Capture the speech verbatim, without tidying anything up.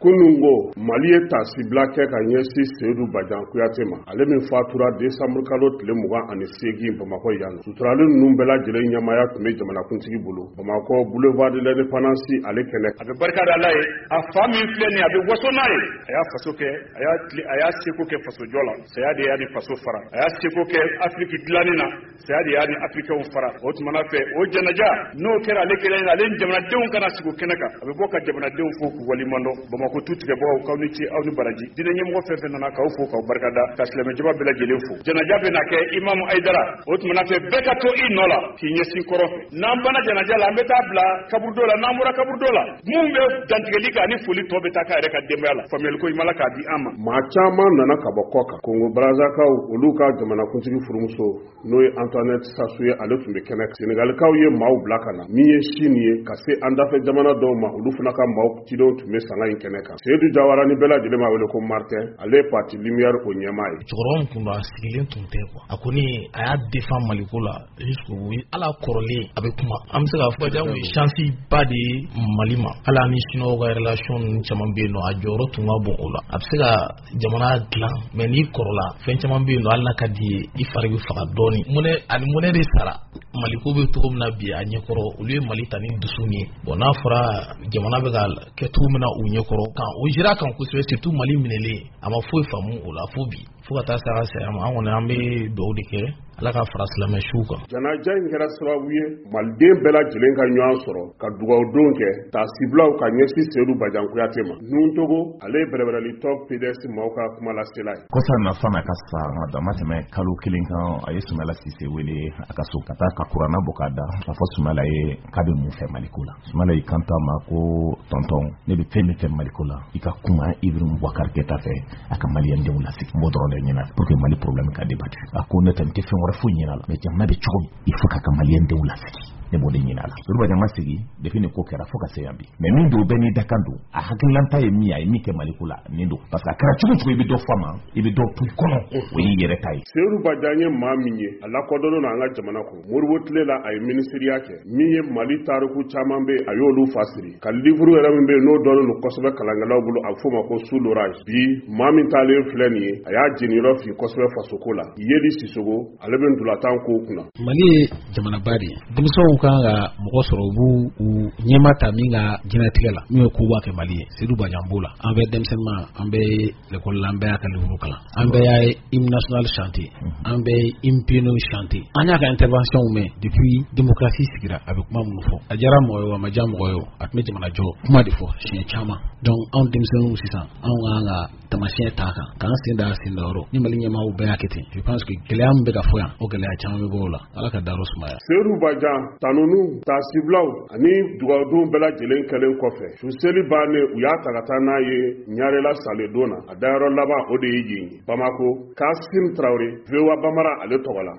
Kunun ko Mali ye taasibila kɛ ka ɲɛsin Seyidu Bajan Kuyate ma, ale min fatura décembre kalo tile mugan ani seegin Bamakɔ yan. Suturali ninnu bɛɛ lajɛlen ɲɛmaaya tun bɛ jamanakuntigi bolo Bamakɔ boulevard de l'Indépendance ale kɛnɛ. A bɛ barika da Ala ye, a fa min filɛ nin ye, a bɛ waso n'a ye. A y'a faso kɛ, a y'a a y'a seko kɛ fasojɔ la, saya de y'a ni faso fara. A y'a seko kɛ Afiriki dilanni na, saya de y'a ni Afirikɛnw fara. O tuma fɛ, o janaja n'o kɛra ale kelen, ale ni jamanadenw kana sigi o kɛnɛ kan, a bɛ bɔ ka jamanadenw fo k'u waleɲuman dɔn. Bamakɔ tu tigɛbagaw, k'aw ni ce, aw ni baraji. Diinɛ ɲɛmɔgɔ fɛn fɛn nana, k'aw fo k'aw barikada, ka silamɛjama bɛɛ lajɛlen fo. Janaja bɛ na kɛ Imam Hayidara. O tuma fɛ, bɛɛ ka to i nɔ la k'i ɲɛsin kɔrɔn fɛ. N'an banna janaja la, an bɛ taa bila kaburudo la. N'an bɔra kaburudo la, mun bɛ dantigɛli kɛ ani foli tɔ bɛ taa k'a yɛrɛ ka denbaya la. Faamuyali ko ɲuman k'a di an ma. Maa caman nana ka bɔ kɔ kan. Kongo Brazakaw, olu ka jamanakuntigi furumuso, n'o ye Antoinette Sassou ye, ale tun bɛ kɛnɛ. Senegalikaw ye maaw bila ka na. Min ye Chine ye, ka se an dafɛ jamana dɔw ma, olu fana ka maaw cidenw tun bɛ sanga in kɛnɛ kan. Seyidu Jawara, ni bɛɛ lajɛlen b'a wele ko Martin, ale ye parti Lumière o ɲɛmaa ye. Cɛkɔrɔba min tun don, a sigilen tun tɛ quoi. A kɔni a y'a défend Maliko la jusqu'au bout. Ala kɔrɔlen a bɛ kuma, an bɛ se k'a fɔ Badian ye chance ba de ye Mali ma. Hali ani Chinois ka relation ninnu caman bɛ yen nɔ, a jɔyɔrɔ tun ka bon o la. A bɛ se ka jamana dilan, mais n'i kɔrɔla, fɛn caman bɛ yen nɔ, hali n'a ka di ye, i fari bɛ faga dɔɔni. Mɔnɛ ani mɔnɛ de sara Maliko bɛ cogo min na bi a ɲɛkɔrɔ, olu ye Mali ta ni dusu ye. Bon, n'a fɔra jamana bɛ ka kɛ cogo min na u ɲɛkɔrɔ kan, o jira kan kosɛbɛ, surtout Mali minɛlen, a ma foyi faamu o la fo bi, fo ka taa se a ka saya ma. An kɔni an bɛ dugawu de kɛ, Ala ka fara silamɛ siw kan. Janaja in kɛra sababu ye maliden bɛɛ lajɛlen ka ɲɔgɔn sɔrɔ ka dugawudon kɛ, taasibilaw ka ɲɛsin Seyidu Bajan Kuyate ma. Nuntogo, ale ye bɛrɛbɛrɛlitɔ P D S maaw ka kumalasela ye. Kɔsa na, san'a ka sa, a ma tɛmɛ kalo kelen kan, a ye Sumala Sise wele a ka so ka taa ka kuranna bɔ k'a da k'a fɔ Sumala ye k'a bɛ mun fɛ Maliko la. Sumala y'i kanto a ma ko: "Tonton, ne bɛ fɛn min fɛ Maliko la, i ka kuma Ibrahim Boubacar Keita fɛ, a ka maliyɛndenw lasigi. N b'o dɔrɔn de ɲini pour que Mali problème ka débattu." A ko: "Ne tɛ, n tɛ fɛn wɛrɛ foyi ɲini a la, mais jamana bɛ cogo min, il faut k'a ka maliyɛndenw lasigi, ne b'o de ɲini a la." Seyidu Badian ma sigi depuis nin ko kɛra fo ka se yan bi. Mais min don, bɛɛ n'i dakan don. A hakililanta ye min ye, a ye min kɛ Maliko la, nin don, parce que a kɛra cogo cogo, i bɛ dɔ fɔ a ma, i bɛ dɔ to i kɔnɔ, o y'i yɛrɛ ta ye. Seyidu Bajan ye maa min ye, a lakodɔnnen don an ka jamana kɔnɔ. Moribo tile la, a ye minisiriya kɛ. Min ye Mali tariku caman bɛ yen, a y'olu fasiri ka livre yɛrɛ min bɛ yen, n'o dɔnnen don kosɛbɛ kalankɛlaw bolo, a bɛ f'o ma ko Sous l'orage. Bi maa min taalen filɛ nin ye, a y'a jeniyɔrɔ fin kosɛbɛ fasoko la. Yeli Sisogo, ale bɛ ntolatan kow kunna. Mali ye jamanaba de ye. Denmisɛnw kan ka mɔgɔ sɔrɔ, u b'u u ɲɛma ta min ka diɲɛlatigɛ la, min ye koba kɛ Mali ye. Seyidu Bajan b'o la. An bɛɛ denmisɛnninma, an bɛɛ ye l'école la, an bɛɛ y'a ka livre kalan, an bɛɛ y'a hymne national chanté, an bɛɛ ye hymne pionnier chanté. An y'a ka intervention mɛn depuis démocratie sigira. A bɛ kuma minnu fɔ, a diyara mɔgɔ ye o, a ma diya mɔgɔ ye o, a tun bɛ jamana jɔ kuma de fɔ siɲɛ caman. Donc anw denmisɛnninw sisan, anw kan ka tamasiyɛn t'a kan k'an sen da sen da yɔrɔ ni Mali ɲɛmaaw bɛɛ y'a kɛ ten, je pense que gɛlɛya min bɛ ka fɔ yan, o gɛlɛya caman bɛ bɔ o la. Ala ka dayɔrɔ sumaya. Seyidu Bajan tanunu, taasibilaw ani dugawudon bɛɛ lajɛlen kɛlen kɔfɛ, su seli bannen, u y'a ta ka taa n'a ye Ɲarela saledon na. A dayɔrɔ laban, o de ye yen ye Bamako. Kasim Tarawele, V O A Bamara, ale tɔgɔ la.